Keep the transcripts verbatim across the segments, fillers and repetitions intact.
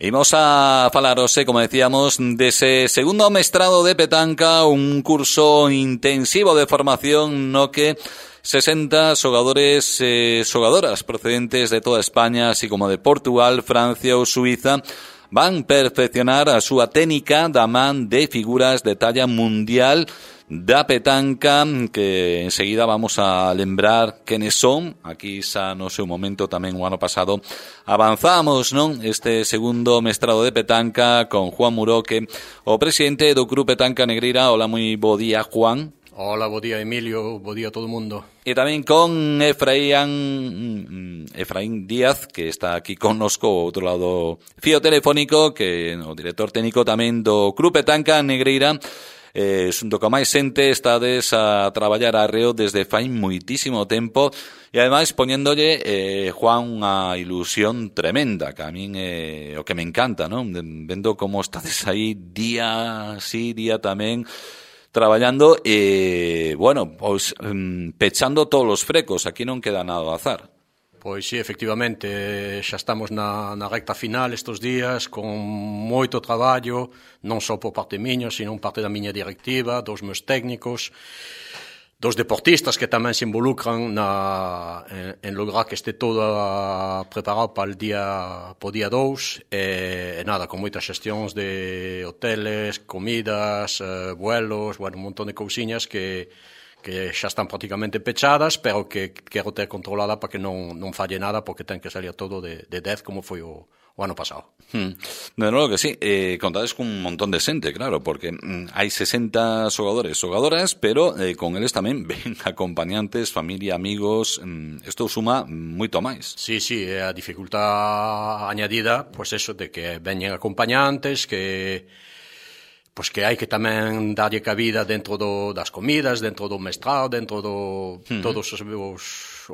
Imos a falaros, eh, como decíamos, dese segundo mestrado de petanca, un curso intensivo de formación no que sesenta xogadores e eh, xogadoras procedentes de toda España, así como de Portugal, Francia ou Suiza, van perfeccionar a súa técnica da man de figuras de talla mundial da petanca, que enseguida vamos a lembrar quenes son. Aquí xa no seu momento tamén o ano pasado avanzamos, non? Este segundo mestrado de petanca con Juan Muroque, o presidente do Club Petanca Negreira. Hola, moi bo día, Juan. Hola, bo día, Emilio, bo día a todo o mundo. E tamén con Efraín Efraín Díaz, que está aquí connosco ao outro lado fío telefónico, que é o director técnico tamén do Club Petanca Negreira. Eh, xunto con máis xente estades a traballar arreo desde fai moitísimo tempo e ademais poñéndolle, eh, Juan, unha ilusión tremenda, que a min é eh, o que me encanta, non? Vendo como estades aí día sí, día tamén traballando e, bueno, pois pechando todos os frecos. Aquí non queda nada ao azar. Pois sí, efectivamente, xa estamos na, na recta final estes días, con moito traballo, non só por parte miña, sino por parte da miña directiva, dos meus técnicos, dos deportistas que tamén se involucran na, en, en lograr que este todo preparado para o día, po día dous, e, e nada, con moitas xestións de hoteles, comidas, eh, vuelos, bueno, un montón de cousiñas que... que xa están prácticamente pechadas, pero que quero ter controlada para que non, non falle nada, porque ten que salir todo de, de dez como foi o, o ano pasado. Hmm. De novo que sí, eh, contades con un montón de xente, claro, porque mm, hai sesenta xogadores, xogadoras, pero eh, con eles tamén ven acompañantes, familia, amigos. Isto mm, suma moito máis. Sí, sí, é a dificultad añadida, pois pues eso, de que veñen acompañantes, que... pois que hai que tamén darlle cabida dentro do, das comidas, dentro do mestrado, dentro do uh-huh. todos os, os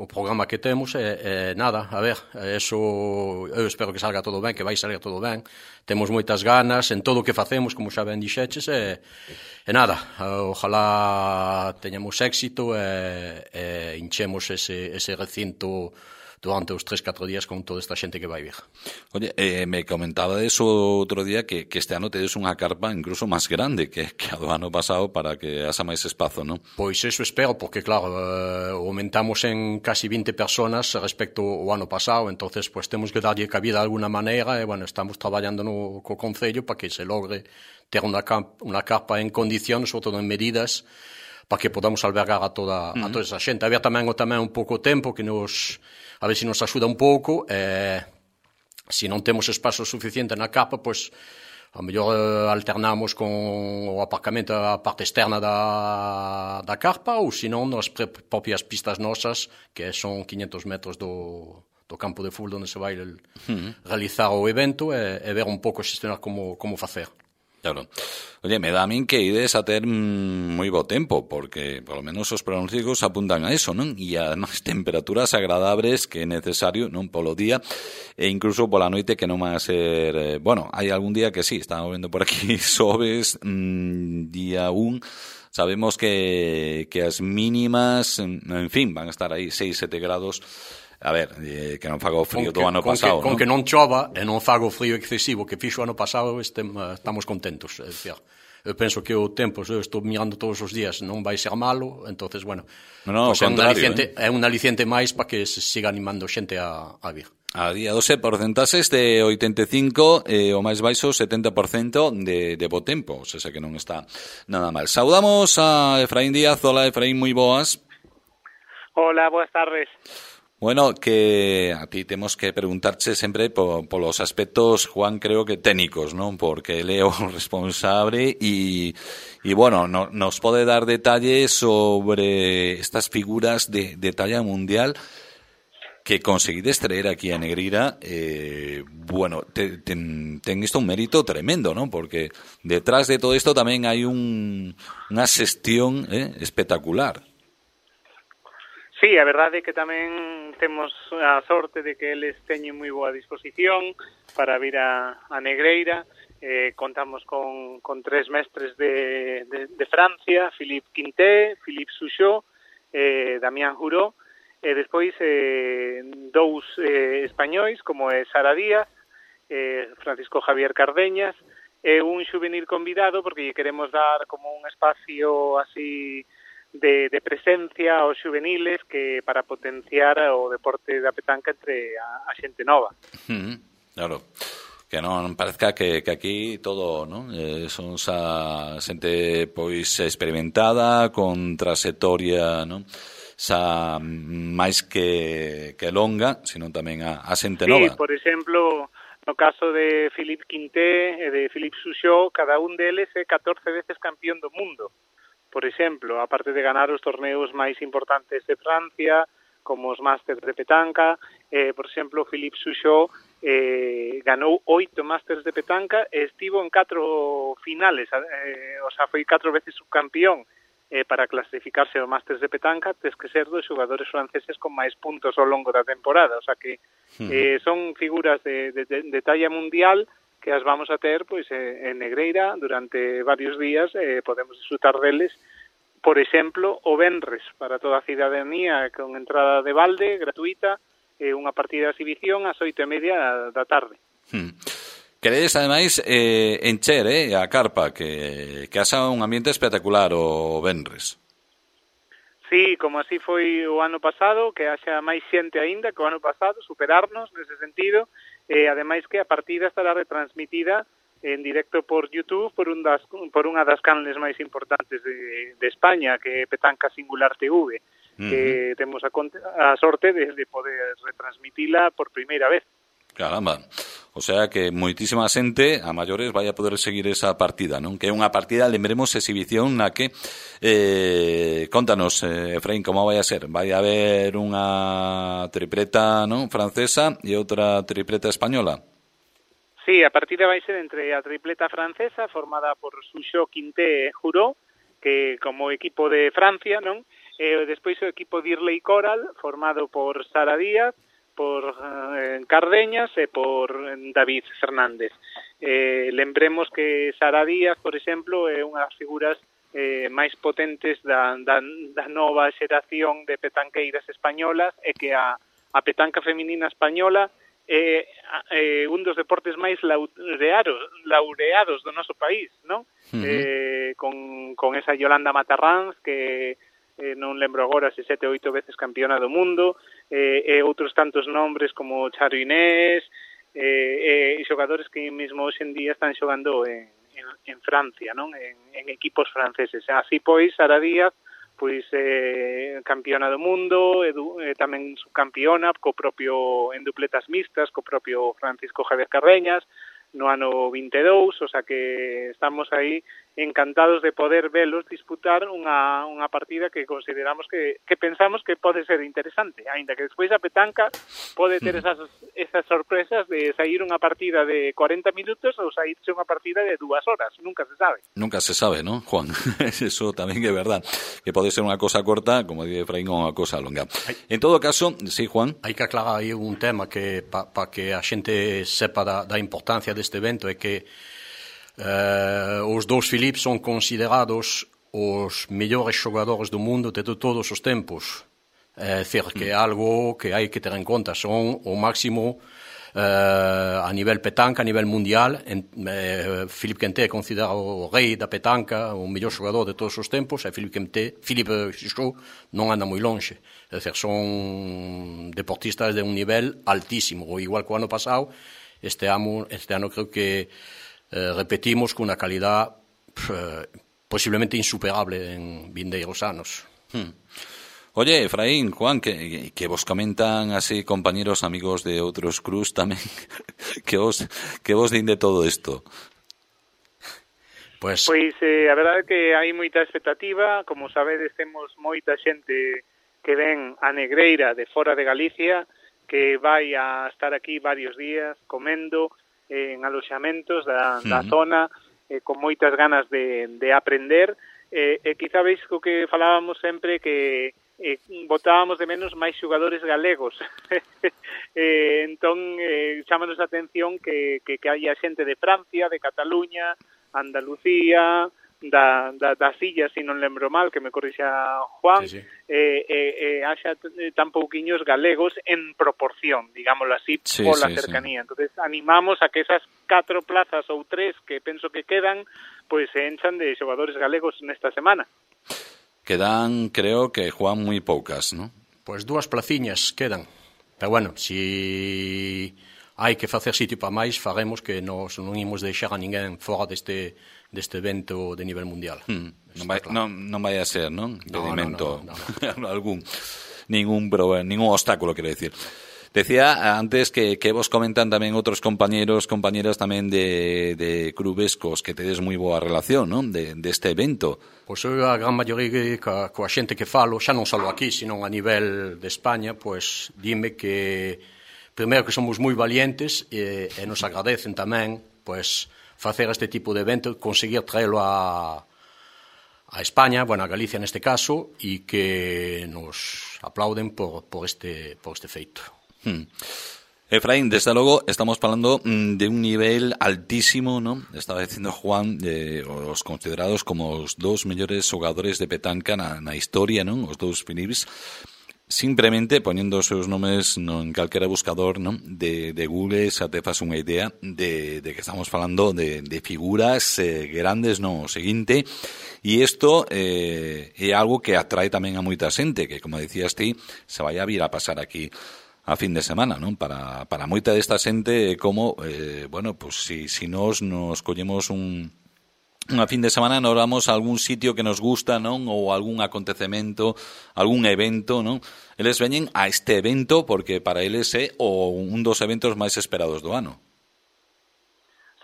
o programa que temos, e, e nada, a ver, eso eu espero que salga todo ben, que vai salir todo ben. Temos moitas ganas en todo o que facemos, como xa ben dixeches, e, e nada, ojalá teñamos éxito e, e hinchemos ese, ese recinto durante os tres, catro días con toda esta xente que vai vir. Oye, eh, me comentaba eso outro día, que, que este ano tedes unha carpa incluso máis grande que, que a do ano pasado, para que haxa máis espazo, non? Pois eso espero, porque claro, eh, aumentamos en casi vinte personas respecto ao ano pasado, entonces pues temos que darlle cabida de alguna maneira, e bueno, estamos traballando no, co Concello para que se logre ter unha, camp, unha carpa en condicións, sobre todo en medidas, para que podamos albergar a toda, uh-huh. a toda esa xente. Había tamén o tamén un pouco tempo que nos... a ver se nos axuda un pouco, e se non temos espazo suficiente na capa, pois a mellor eh, alternamos con o aparcamento a parte externa da, da carpa, ou se non nas propias pistas nosas, que son quinhentos metros do, do campo de fútbol onde se vai el, uh-huh. realizar o evento, e, e ver un pouco xestionar como, como facer. Claro. Oye, me dá a min que ides a ter mm, moi bo tempo, porque polo menos os pronósticos apuntan a eso, non? E además temperaturas agradables, que é necesario, non, polo día, e incluso pola noite, que non vai a ser... Eh, bueno, hai algún día que sí, estamos vendo por aquí, sobes, mmm, día un, sabemos que, que as mínimas, en fin, van a estar aí seis, sete grados. A ver, eh, que non faga o frío do ano pasado, non? Con que non chova e non faga o frío excesivo que fixo o ano pasado, este, estamos contentos. É dicir, eu penso que o tempo, eu estou mirando todos os días, non vai ser malo, entonces, bueno, no, no, pues é, un aliciente, eh? é un aliciente máis para que se siga animando xente a, a vir. A día doce, porcentaxes de oitenta e cinco, eh, o máis baixo setenta por cento de, de bo tempo, o sea, que non está nada mal. Saudamos a Efraín Díaz. Hola, Efraín, moi boas. Hola, boas tardes. Bueno, que a ti temos que preguntarche sempre por, por los aspectos, Juan, creo que técnicos, ¿no? Porque Leo responsable y, y bueno, no, nos pode dar detalles sobre estas figuras de, de talla mundial que conseguides traer aquí a Negreira. Eh, bueno, te, ten, ten isto un mérito tremendo, ¿no? Porque detrás de todo isto tamén hai un, unha xestión eh, espectacular. Sí, a verdade é que tamén temos a sorte de que eles teñen moi boa disposición para vir a, a Negreira. Eh, contamos con, con tres mestres de, de, de Francia, Philippe Quinté, Philippe Souchot, eh, Damián Juró, e despois eh, dous eh, españois, como é Sara Díaz, eh, Francisco Javier Cardeñas, é un xuvenil convidado porque lle queremos dar como un espacio así de, de presencia aos xuveniles que para potenciar o deporte da petanca entre a, a xente nova. Mm, claro. Que non parezca que, que aquí todo, non? Eh, son xa xente pois experimentada, con trayectoria, non? Xa máis que, que longa, sino tamén a, a xente nova. Sí, por exemplo, no caso de Philippe Quinté e de Philippe Souchot, cada un deles é catorce veces campeón do mundo. Por exemplo, aparte de ganar os torneos máis importantes de Francia, como os Masters de petanca, eh, por exemplo, Philippe Souchot eh, ganou oito Masters de petanca e estivo en catro finales, eh, o sea, foi catro veces subcampeón. Eh, para clasificarse ao Masters de petanca tes que ser dos xogadores franceses con máis puntos ao longo da temporada, o sea que eh, son figuras de, de, de talla mundial que as vamos a ter pois eh, en Negreira durante varios días, eh, podemos disfrutar deles, por exemplo, o venres para toda a cidadanía con entrada de balde, gratuita, e eh, unha partida de exhibición ás oito e media da tarde. Hmm. Queredes, ademais, eh, encher eh, a carpa, que, que haxa un ambiente espectacular o venres. Sí, como así foi o ano pasado, que haxa máis xente aínda que o ano pasado, superarnos nese sentido, e ademais que a partida estará retransmitida en directo por YouTube por, un das, por unha das canles máis importantes de, de España, que é Petanca Singular T V, uh-huh. que temos a, a sorte de, de poder retransmitila por primeira vez. Caramba, o sea que moitísima xente a maiores vai a poder seguir esa partida, non? Que é unha partida, lembremos, exhibición na que eh, contanos, eh, Efraín, como vai a ser? Vai a haber unha tripleta, non, francesa e outra tripleta española? Sí, a partida vai ser entre a tripleta francesa formada por Souchot, Quinté e Juró, que como equipo de Francia, non? E despois o equipo Dirley Coral formado por Sara Díaz, por eh, Cardeñas e por David Fernández. Eh, lembremos que Sara Díaz, por exemplo, é unha das figuras eh, máis potentes da, da, da nova xeración de petanqueiras españolas e que a, a petanca feminina española é eh, un dos deportes máis laureados, laureados do noso país, non? Uh-huh. Eh, con, con esa Yolanda Matarranz que eh, non lembro agora se sete ou oito veces campeona do mundo, eh, e outros tantos nombres como Charo Inés, eh, e xogadores que mesmo hoxe en día están xogando en, en, en Francia, non? En, en equipos franceses. Así pois, Sara Díaz, pois eh, campeona do mundo, e, e tamén subcampeona co propio en dupletas mixtas, co propio Francisco Javier Cardeñas, no ano vinte e dous, o sea que estamos aí encantados de poder velos disputar unha, unha partida que consideramos que, que pensamos que pode ser interesante, aínda que despois a petanca pode ter esas, esas sorpresas de sair unha partida de cuarenta minutos ou saírse unha partida de dúas horas, nunca se sabe. Nunca se sabe, ¿no, Juan? Eso tamén é verdad, que pode ser unha cosa corta, como dice Efraín, unha cosa longa. En todo caso, sí, Juan? Hai que aclarar aí un tema que para pa que a xente sepa da, da importancia deste evento é que Uh, os dous Philippe son considerados os mellores xogadores do mundo de todos os tempos. É dicir, que é algo que hai que ter en conta. Son o máximo uh, a nivel petanca, a nivel mundial. En, uh, Philippe Quinté é considerado o rei da petanca, o mellor xogador de todos os tempos, e Philippe Quinté, Philippe Souchot non anda moi longe. É dicir, son deportistas de un nivel altísimo. O igual que o ano pasado, este ano, este ano creo que Eh, repetimos con unha calidad eh, posiblemente insuperable en vindeiros anos. Hmm. Oye, Efraín, Juan, que, que vos comentan así compañeros, amigos de outros cruz tamén, que vos, que vos din de todo isto? Pues, pois eh, a verdade é que hai moita expectativa, como sabedes temos moita xente que ven a Negreira de fora de Galicia, que vai a estar aquí varios días comendo, en aloxamentos da, da uh-huh. zona, eh, con moitas ganas de, de aprender, e eh, quizá veis co que falábamos sempre que eh, botábamos de menos máis xogadores galegos. eh, entón, eh, chámanos a atención que, que, que haya xente de Francia, de Cataluña, Andalucía, da, da, das illas, se non lembro mal, que me corrixa Juan, sí, sí. Eh, eh, eh, haxa tan pouquiños galegos en proporción, digámoslo así, sí, pola sí, cercanía. Sí. Entonces animamos a que esas catro plazas ou tres que penso que quedan, pois se enchan de xogadores galegos nesta semana. Quedan, creo que, Juan, moi poucas, ¿no? Pois dúas placiñas quedan. Pero bueno, si hai que facer sitio para máis, faremos que nos non imos deixar a ninguén fora deste deste evento de nivel mundial. Hmm. Non, vai, claro. non, non vai a ser, non? Impedimento no, no, no, no. algún, ningún, ningún obstáculo, quero decir. Decía antes que, que vos comentan tamén outros compañeros, compañeras tamén de, de clubes cos que tedes moi boa relación, non? De, deste evento. Pois eu a gran maioría coa, coa xente que falo, xa non só aquí, sino a nivel de España, pois dime que primeiro que somos moi valientes e, e nos agradecen tamén pois facer este tipo de evento, conseguir traelo a a España, bueno, a Galicia neste caso, e que nos aplauden por, por, este, por este feito. Hmm. Efraín, desde logo estamos falando de un nivel altísimo, ¿no? Estaba dicindo Juan, de os considerados como os dous mellores xogadores de petanca na, na historia, non? Os dous Philips, simplemente poniendo os seus nomes no, en calquera buscador, ¿no? de, de Google, xa te faz unha idea de, de que estamos falando de, de figuras eh, grandes, no? O seguinte, e isto eh, é algo que atrae tamén a moita xente, que, como decías ti, se vai a vir a pasar aquí a fin de semana, non? Para, para moita desta xente, como, eh, bueno, pues si, si nos nos collemos un, unha fin de semana, nos vamos a algún sitio que nos gusta, non? Ou algún acontecemento, algún evento, non? Eles veñen a este evento porque para eles é o un dos eventos máis esperados do ano.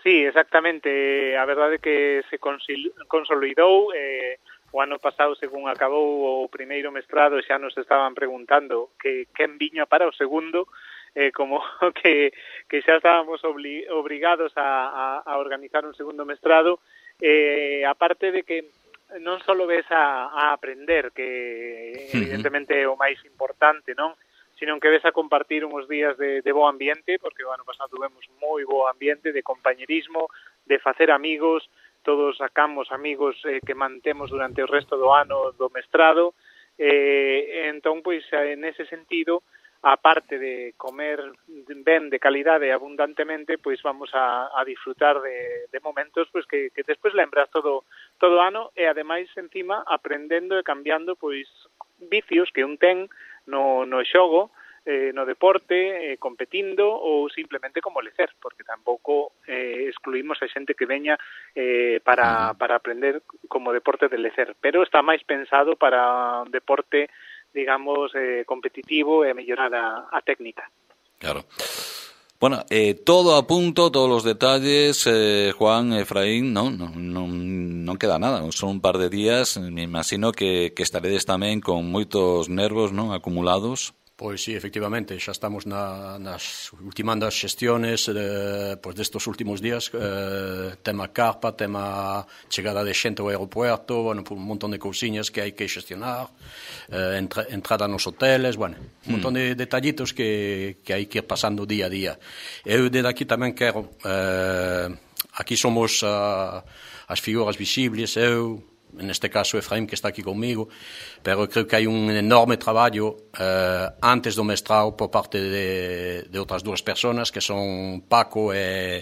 Sí, exactamente. A verdade é que se consolidou, eh, o ano pasado, según acabou o primeiro mestrado, xa nos estaban preguntando que quen viña para o segundo, eh, como que, que xa estábamos obli, obrigados a, a, a organizar un segundo mestrado, eh, aparte de que non só ves a, a aprender, que evidentemente é o máis importante, non? Sino que ves a compartir uns días de, de bo ambiente, porque o ano pasado tuvemos moi bo ambiente de compañerismo, de facer amigos, todos sacamos amigos eh, que mantemos durante o resto do ano do mestrado, eh, entón, pois, en ese sentido, aparte de comer ben de calidade abundantemente, pois vamos a, a disfrutar de, de momentos pois que, que despois lembras todo todo o ano e, ademais, encima, aprendendo e cambiando pois vicios que un ten no, no xogo, Eh, no deporte, eh, competindo ou simplemente como lecer, porque tampouco eh, excluímos a xente que veña eh, para, para aprender como deporte de lecer, pero está máis pensado para un deporte, digamos, eh, competitivo e mellorar a, a técnica. Claro. Bueno, eh, todo a punto, todos los detalles, eh, Juan, Efraín, no, no, no, non queda nada, son un par de días, me imagino que, que estaredes tamén con moitos nervos, non, acumulados. Pois sí, efectivamente, xa estamos na, nas ultimando as xestiones eh, pois destos últimos días, eh, tema carpa, tema chegada de xente ao aeropuerto, bueno, un montón de cousiñas que hai que xestionar, eh, entra, entrada nos hoteles, bueno, un montón de detallitos que, que hai que ir pasando día a día. Eu desde aquí tamén quero, eh, aquí somos uh, as figuras visibles, eu, en este caso Efraín, que está aquí conmigo, pero creo que hai un enorme traballo eh, antes do mestrado por parte de, de outras dúas personas, que son Paco e,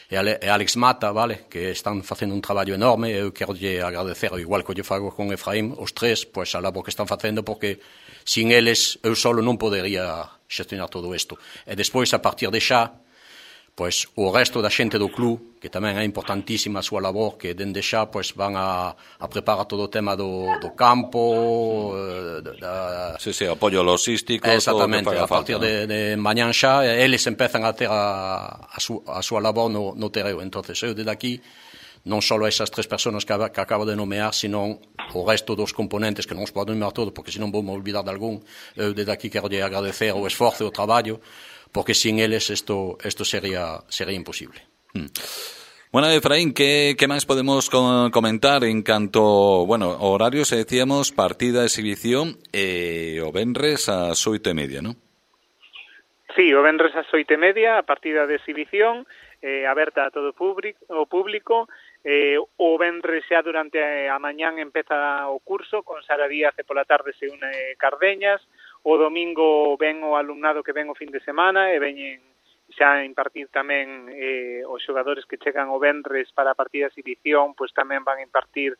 e Alex Mata, vale, que están facendo un traballo enorme. Eu quero lle agradecer, igual que lle fago con Efraín, os tres, pois a labor que están facendo, porque sin eles eu solo non podería xestionar todo isto. E despois, a partir de xa, pois o resto da xente do club, que tamén é importantísima a súa labor, que dende xa pois van a, a preparar todo o tema do, do campo, da... Sí, sí, apoio logístico, exactamente, todo o que faga a partir falta, de, de mañán xa, eles empezan a ter a, a, su, a súa labor no, no terreo. Entonces eu desde aquí, non só esas tres personas que, que acabo de nomear, sino o resto dos componentes, que non os podo nomear todo, porque senón vou me olvidar de algún. Eu desde aquí quero lle agradecer o esforzo e o traballo, porque sin eles esto, esto sería, sería imposible. Mm. Bueno, Efraín, ¿qué, qué más podemos comentar en canto, bueno, horarios? Decíamos partida, exhibición, eh, o venres a oito e media, ¿no? Sí, o venres a oito e media, a partida de exhibición, eh, aberta a todo o público. Eh, o venres xa durante a mañán empeza o curso, con Sara Díaz e pola tarde se une Cardeñas. O domingo ven o alumnado que ven o fin de semana e veñen xa a impartir tamén eh, os xogadores que chegan o venres para a partida de exhibición, pois tamén van a impartir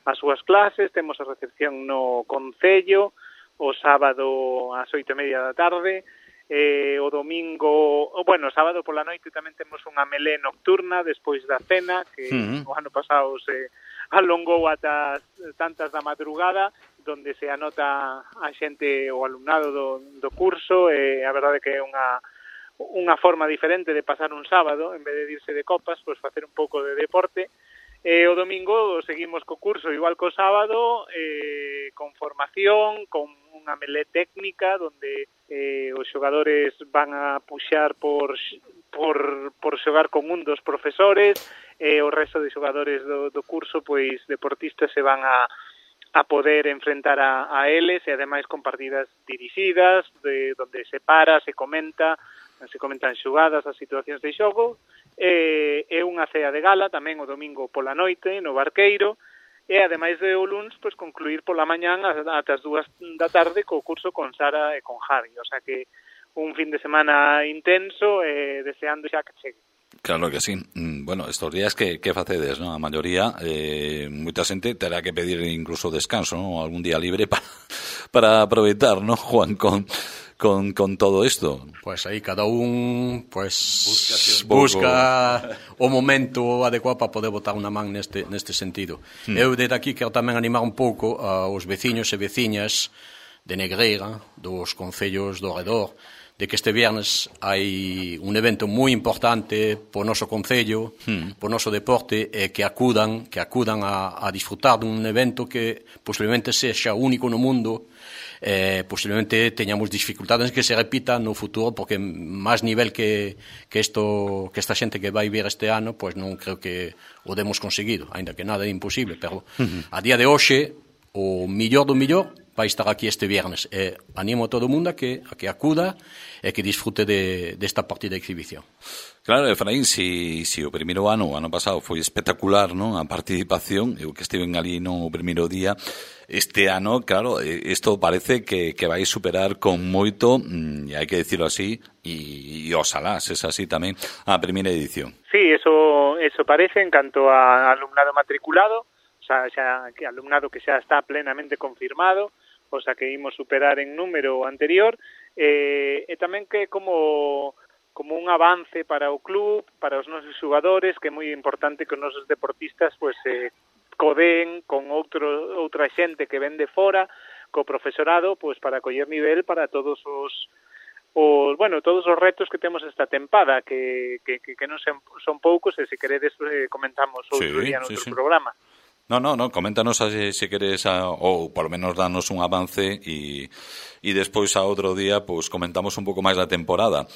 as súas clases. Temos a recepción no Concello o sábado ás oito e media da tarde. Eh, o domingo, bueno, o sábado pola noite tamén temos unha melé nocturna despois da cena, que uh-huh. o ano pasado se alongou ata tantas da madrugada, donde se anota a xente, o alumnado do, do curso, e a verdade que é unha unha forma diferente de pasar un sábado, en vez de irse de copas, pois facer un pouco de deporte. E o domingo seguimos co curso igual co sábado, eh, con formación, con unha melé técnica, donde eh, os xogadores van a puxar por, por, por xogar con un dos profesores, e o resto de xogadores do, do curso, pois deportistas, se van a, a poder enfrentar a, a eles, e ademais con partidas dirixidas, de, donde se para, se comenta, se comentan xogadas, as situacións de xogo. E, e unha cea de gala tamén o domingo pola noite no Barqueiro, e ademais de o luns, pois concluir pola mañán ata as dúas da tarde co curso con Sara e con Javi, o sea que un fin de semana intenso, e deseando xa que chegue. Claro que sí. Bueno, estos días que, que facedes, ¿no? A maioría, eh, moita xente terá que pedir incluso descanso, ¿no? Algún día libre para, para aproveitar, ¿no, Juan, con... Con, con todo isto? Pues aí cada un pues busca o momento adecuado para poder botar unha man neste, neste sentido. Hmm. Eu desde aquí quero tamén animar un pouco aos veciños e veciñas de Negreira, dos concellos do redor, de que este viernes hai un evento moi importante po noso concello, hmm. po noso deporte, e que acudan, que acudan a, a disfrutar dun evento que posiblemente sexa único no mundo. Eh, posiblemente teñamos dificultades que se repita no futuro, porque máis nivel que, que, esto, que esta xente que vai vir este ano, pois non creo que o demos conseguido, ainda que nada é imposible, pero uh-huh. a día de hoxe o millor do millor vai estar aquí este viernes, e animo a todo o mundo a que, a que acuda e que disfrute de, desta partida de exhibición. Claro, Efraín, si, si o primeiro ano, o ano pasado, foi espectacular, non, a participación, eu que estiven ali no primeiro día, este ano, claro, isto parece que, que vai superar con moito, e hai que decirlo así, e, e oxalá, se es así tamén, a primeira edición. Sí, eso, eso parece en canto a alumnado matriculado, o sea, xa, que alumnado que xa está plenamente confirmado, o sea, que imos superar en número anterior, eh, e tamén que como... como un avance para o club, para os nosos xogadores, que é moi importante que os nosos deportistas pois eh, codeen con outro, outra xente que ven de fora, co profesorado, pois para coller nivel para todos os, os bueno, todos os retos que temos esta tempada, que, que, que, que non son, son poucos, e se queredes eh, comentamos outro sí, día no sí, outro sí. programa. No, no, no, coméntanos se si queres, a, ou por lo menos danos un avance, e, e despois a outro día pues, comentamos un pouco máis da temporada.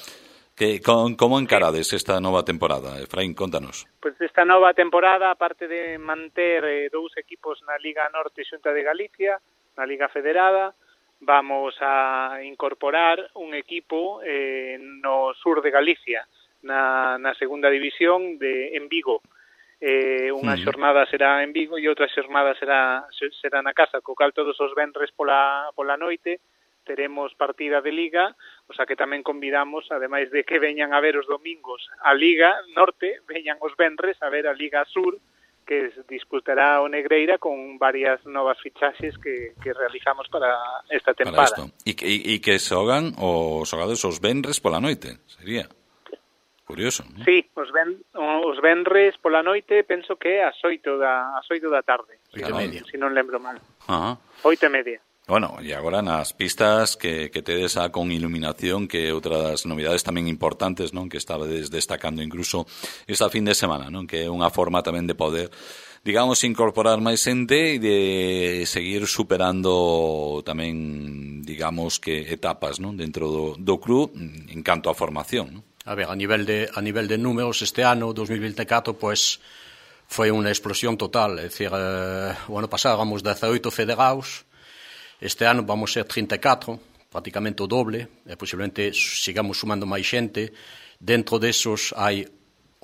Que, con, como encarades esta nova temporada? Efraín, contanos. Pois pues esta nova temporada, aparte de manter eh, dous equipos na Liga Norte e Xunta de Galicia, na Liga Federada, vamos a incorporar un equipo eh, no sur de Galicia, na, na segunda división de en Vigo. Eh, unha uh-huh. xornada será en Vigo e outra xornada será será na casa, co cal todos os venres pola, pola noite teremos partida de Liga, o sea que tamén convidamos, ademais de que veñan a ver os domingos a Liga Norte, veñan os venres a ver a Liga Sur, que disputará o Negreira con varias novas fichaxes que, que realizamos para esta tempada. E que, e que xogan os xogadores os venres pola noite, sería curioso, ¿no? Sí, os, ven, os venres pola noite penso que é ás oito da, ás oito da tarde, oito e media, se non lembro mal. Ajá. Oito e media. Bueno, e agora nas pistas que, que tedes a con iluminación, que é outra das novidades tamén importantes, non, que estabades destacando incluso esta fin de semana, non, que é unha forma tamén de poder, digamos, incorporar máis xente e de seguir superando tamén, digamos, que etapas, non, dentro do, do club en canto a formación, non? A ver, a nivel de a nivel de números este ano, dos mil veinticuatro, pues foi unha explosión total, é dicir, eh, o ano pasado éramos dezaoito federados. Este ano vamos ser trinta e catro, prácticamente o doble, e posiblemente sigamos sumando máis xente. Dentro desos hai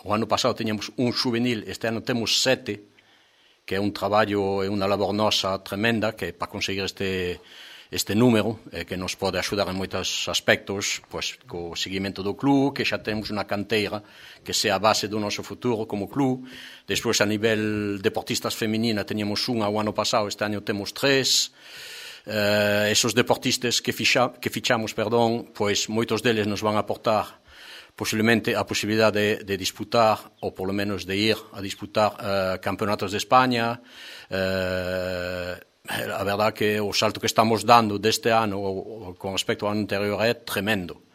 o ano pasado teñamos un juvenil, este ano temos sete, que é un traballo e unha labor nosa tremenda, que para conseguir este, este número, eh, que nos pode axudar en moitos aspectos, pois, co seguimento do club, que xa temos unha canteira que sea a base do noso futuro como club. Despois, a nivel deportistas feminina, teníamos unha o ano pasado, este ano temos tres. Eh, esos deportistas que, fixa, que fichamos, perdón, pois moitos deles nos van a aportar posiblemente a posibilidade de, de disputar, ou polo menos de ir a disputar uh, campeonatos de España. Uh, a verdad que o salto que estamos dando deste ano o, o, con respecto ao ano anterior é tremendo.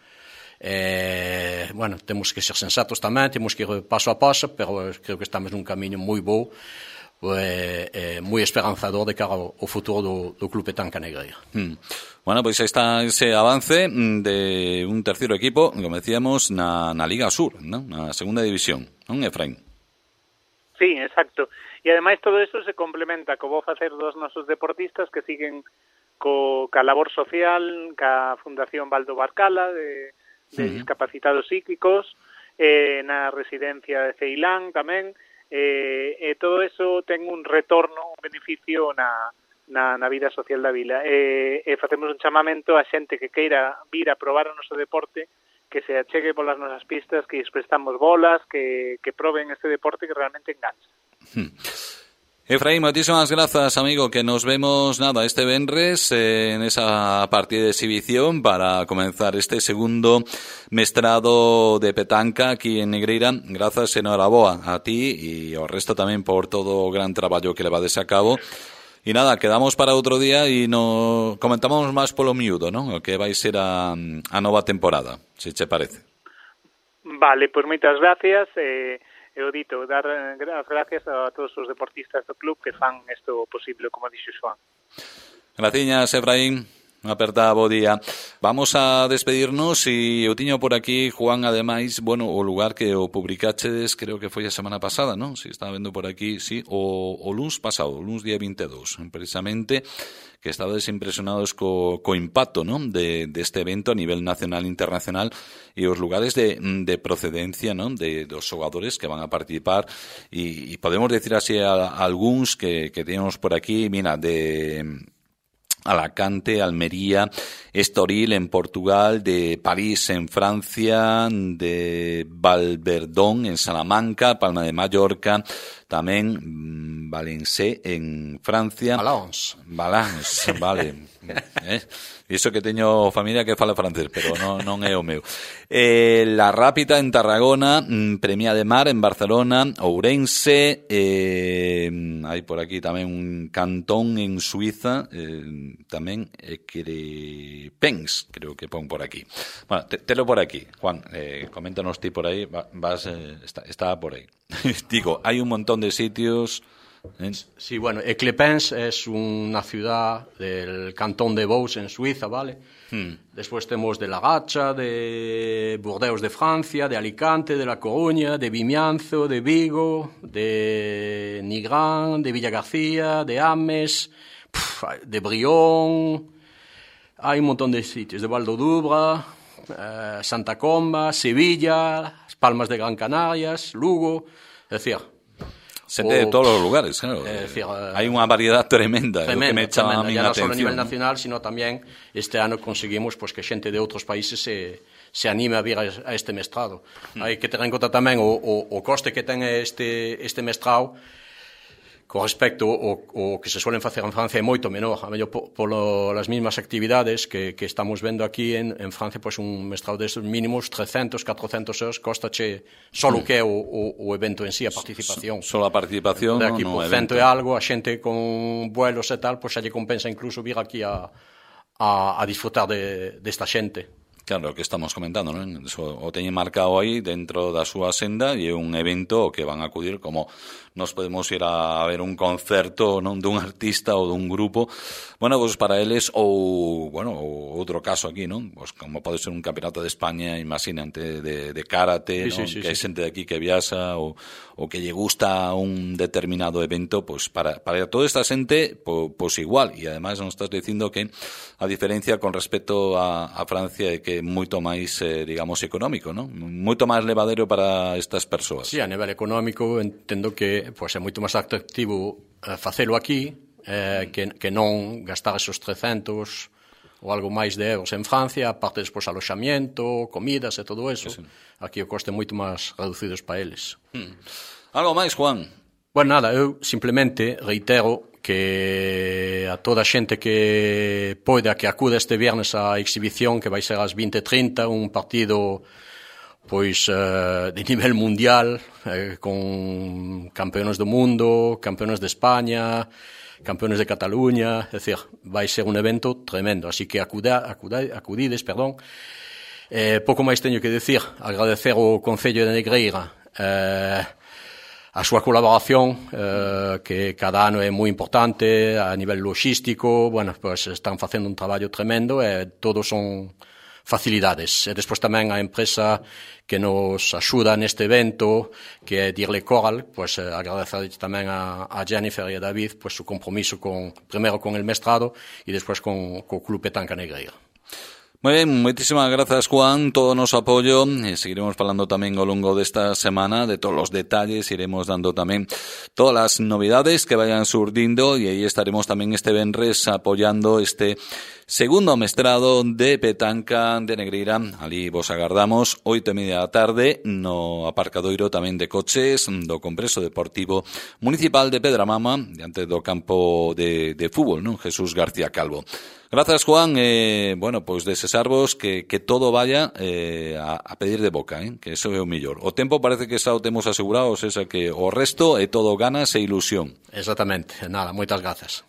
Eh, bueno, temos que ser sensatos tamén, temos que ir paso a paso, pero creo que estamos nun camiño moi bo, eh, eh, moi esperanzador de cara ao, ao futuro do, do Club Petanca Negreira. Hmm. Bueno, pois pues está ese avance de un terceiro equipo, como decíamos, na, na Liga Sur, ¿no? Na segunda división, non, Efraín? Sí, exacto. E ademais todo eso se complementa co bo facer dos nosos deportistas que siguen co, ca labor social, ca Fundación Baldo Barcala de, de uh-huh. discapacitados psíquicos, eh, na residencia de Ceilán tamén, eh, e todo eso ten un retorno, un beneficio na Na, na vida social da vila. E, e facemos un chamamento a xente que queira vir a probar o noso deporte, que se achegue polas nosas pistas, que lles prestamos bolas, que, que proben este deporte que realmente engancha. Hmm. Efraín, moitísimas grazas, amigo, que nos vemos, nada, este venres eh, en esa partida de exhibición para comenzar este segundo mestrado de petanca aquí en Negreira. Grazas, enhoraboa a ti e ao resto tamén por todo o gran traballo que levades a cabo. E nada, quedamos para outro día e no comentamos máis polo miúdo, non? O que vai ser a, a nova temporada, se che parece. Vale, pois moitas gracias. Eh, eu dito, dar as gracias a todos os deportistas do club que fan isto posible, como dixo Xoán. Graciñas, Efraín. Unha aperta, bo día. Vamos a despedirnos e eu tiño por aquí, Juan, ademais, bueno, o lugar que o publicachedes, creo que foi a semana pasada, non? Si estaba vendo por aquí, sí, o, o luns pasado, o luns día vinte e dous, precisamente, que estabades impresionados co, co impacto, non? De, deste evento a nivel nacional e internacional e os lugares de, de procedencia, non? De dos xogadores que van a participar e, e podemos decir así a, a algúns que, que teníamos por aquí, mira, de Alacante, Almería, Estoril en Portugal, de París en Francia, de Valverdón en Salamanca, Palma de Mallorca, tamén Valencé en Francia. Valence. Valence, vale. eh? Iso que teño familia que fala francés, pero non, non é o meu. Eh, La Rápita en Tarragona, Premia de Mar en Barcelona, Ourense, eh, hai por aquí tamén un cantón en Suiza, eh, tamén Equerepens, creo que pon por aquí. Bueno, te, telo por aquí, Juan, eh, coméntanos ti por aí, vas, eh, está, está por aí. Digo, hai un montón de sitios. ¿Eh? Sí, bueno, Equerepens es una ciudad del cantón de Vaud en Suiza, ¿vale? Hmm. Después tenemos de La Gacha, de Burdeos de Francia, de Alicante, de La Coruña, de Vimianzo, de Vigo, de Nigrán, de Villagarcía, de Ames, de Brión. Hay un montón de sitios, de Valdodubra, eh, Santa Comba, Sevilla, Palmas de Gran Canarias, Lugo, es decir, xente de todos os lugares, claro. É dicir, hai unha variedade tremenda, tremenda, que me chama a miña atención. Non só a nivel nacional, sino tamén este ano conseguimos pues, que xente de outros países se, se anime a vir a, a este mestrado. Mm. Hai que ter en conta tamén o, o, o coste que ten este, este mestrado con respecto ao, ao que se suelen facer en Francia é moito menor, a mellor polo as mesmas actividades que, que estamos vendo aquí en, en Francia, pois pues un mestrado destes mínimos trescentos, catrocentos euros costache solo que é o, o, o evento en sí, a participación. Solo a participación, de aquí no, por no cento e algo, a xente con vuelos e tal, pois pues xa lle compensa incluso vir aquí a, a, a disfrutar de, desta xente. Claro, o que estamos comentando, non? Eso, o teñen marcado aí dentro da súa senda e é un evento que van a acudir como nos podemos ir a ver un concerto, non, dun artista ou dun grupo. Bueno, pues para eles ou, bueno, ou outro caso aquí, non? Pues como pode ser un campeonato de España, imagínate, de, de karate, sí, non? Sí, sí, que hai sí. xente de aquí que viaxa ou, ou que lle gusta un determinado evento, pues para, para toda esta xente, pues, pues igual. E ademais nos estás dicindo que a diferencia con respecto a, a Francia é que moito máis, eh, digamos, económico, non? Moito máis levadero para estas persoas. Sí, a nivel económico entendo que pois, é moito máis atractivo eh, facelo aquí eh, que, que non gastar esos trescentos ou algo máis de euros en Francia, aparte despois aloxamiento, comidas e todo eso. Sí, sí. Aquí o coste é moito máis reducido para eles. Hmm. Algo máis, Juan? Bueno, nada, eu simplemente reitero que a toda a xente que poida que acuda este viernes á exhibición que vai ser ás vinte e trinta, un partido pois eh, de nivel mundial, eh, con campeones do mundo, campeones de España, campeones de Cataluña, é dicir, vai ser un evento tremendo, así que acuda, acuda, acudides, perdón. Eh, pouco máis teño que decir, agradecer ao Concello de Negreira eh, a súa colaboración, eh, que cada ano é moi importante a nivel logístico, bueno, pues están facendo un traballo tremendo e todos son facilidades. E despois tamén a empresa que nos axuda neste evento, que é Dirle Coral, pues eh, agradecer tamén a, a Jennifer e a David pues su compromiso con, primeiro con el mestrado e despois con, co Club Petanca Negreira. Moi ben, moitísimas grazas, Juan, todo o noso apoio, e seguiremos falando tamén ao longo desta semana de todos os detalles, iremos dando tamén todas as novidades que vayan surdindo e aí estaremos tamén este venres apoiando este segundo mestrado de petanca de Negreira. Ali vos agardamos oito e media da tarde no aparcadoiro tamén de coches do Complexo Deportivo Municipal de Pedramama, diante do campo de, de fútbol, non? Jesús García Calvo. Grazas, Juan, eh, bueno, pois desexarvos que, que todo vaya eh, a, a pedir de boca, eh, que eso é o mellor. O tempo parece que xa o temos asegurado, o sea que o resto é todo ganas e ilusión. Exactamente, nada, moitas grazas.